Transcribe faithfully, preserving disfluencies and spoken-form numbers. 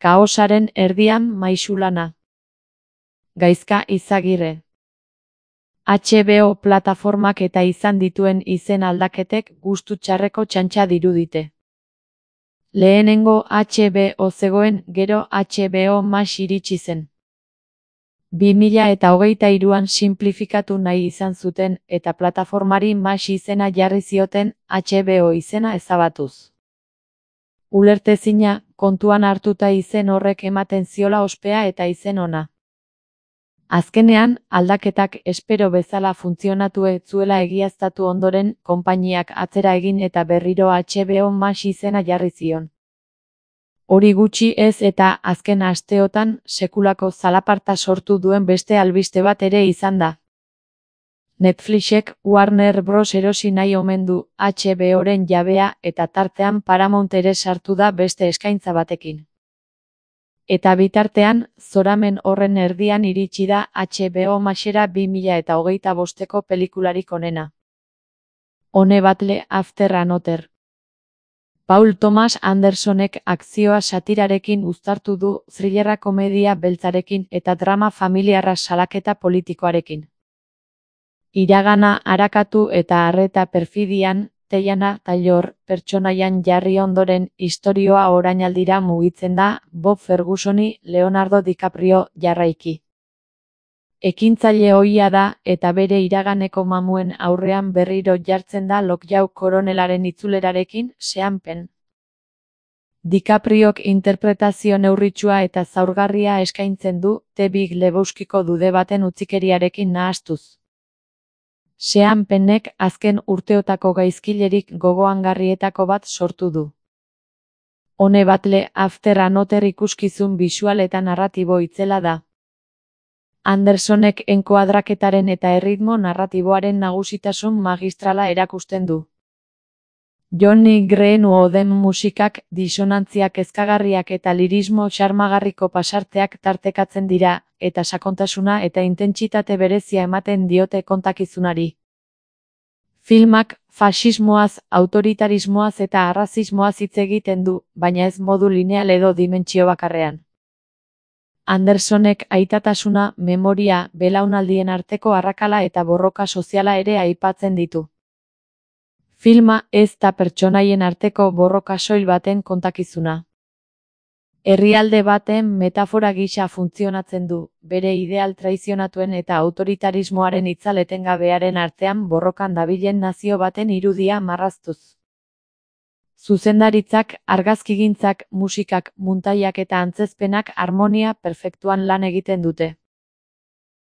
Kaosaren erdian Maixulana. Gaizka Izagirre. H B O plataformak eta izan dituen izen aldaketek gustu txarreko txantxa dirudite. Lehenengo H B O zegoen, gero H B O Max iritsi zen. bi mila eta hogeita hiruan sinplifikatu nahi izan zuten eta plataformari Max izena jarri zioten H B O izena ezabatuz. Ulertezina, kontuan hartuta izen horrek ematen ziola ospea eta izen ona. Azkenean, aldaketak espero bezala funtzionatu ez zuela egiaztatu ondoren, konpainiak atzera egin eta berriro H B O Max izena jarri zion. Hori gutxi ez eta azken asteotan sekulako zalaparta sortu duen beste albiste bat ere izan da. Netflixek Warner Bros erosi nahi omen du H B Oren jabea eta tartean Paramount ere sartu da beste eskaintza batekin. Eta bitartean, zoramen horren erdian iritsi da H B O Maxera bi mila eta hogeita bosteko pelikularik onena. One Battle After Another. Paul Thomas Andersonek akzioa satirarekin uztartu du, thrillerra komedia beltzarekin eta drama familiarra salaketa politikoarekin. Iragana arakatu eta arreta perfidian, Teyana Taylor pertsonaian jarri ondoren istorioa orainaldira mugitzen da Bob Fergusoni Leonardo DiCaprio jarraiki. Ekintzaile ohia da eta bere iraganeko mamuen aurrean berriro jartzen da Lockjaw koronelaren itzulerarekin, Sean Penn. DiCapriok interpretazio neurritsua eta zaurgarria eskaintzen du, The Big Lebowskiko dude baten utzikeriarekin nahastuz. Sean Pennek azken urteotako gaizkilerik gogoangarrietako bat sortu du. One Battle After Another ikuskizun bisual eta narratibo itzela da. Andersonek enkoadraketaren eta erritmo narratiboaren nagusitasun magistrala erakusten du. Johnny Greenwooden musikak, disonantziak kezkagarriak eta lirismo xarmagarriko pasarteak tartekatzen dira, eta sakontasuna eta intentsitate berezia ematen diote kontakizunari. Filmak faxismoaz, autoritarismoaz eta arrazismoaz hitz egiten du, baina ez modu lineal edo dimentsio bakarrean. Andersonek aitatasuna, memoria, belaunaldien arteko arrakala eta borroka soziala ere aipatzen ditu. Filma ez da pertsonaien arteko borroka soil baten kontakizuna. Herrialde baten metafora gisa funtzionatzen du, bere ideal traizionatuen eta autoritarismoaren itzal etengabearen artean borrokan dabilen nazio baten irudia marraztuz. Zuzendaritzak, argazkigintzak, musikak, muntaiak eta antzezpenak harmonia perfektuan lan egiten dute.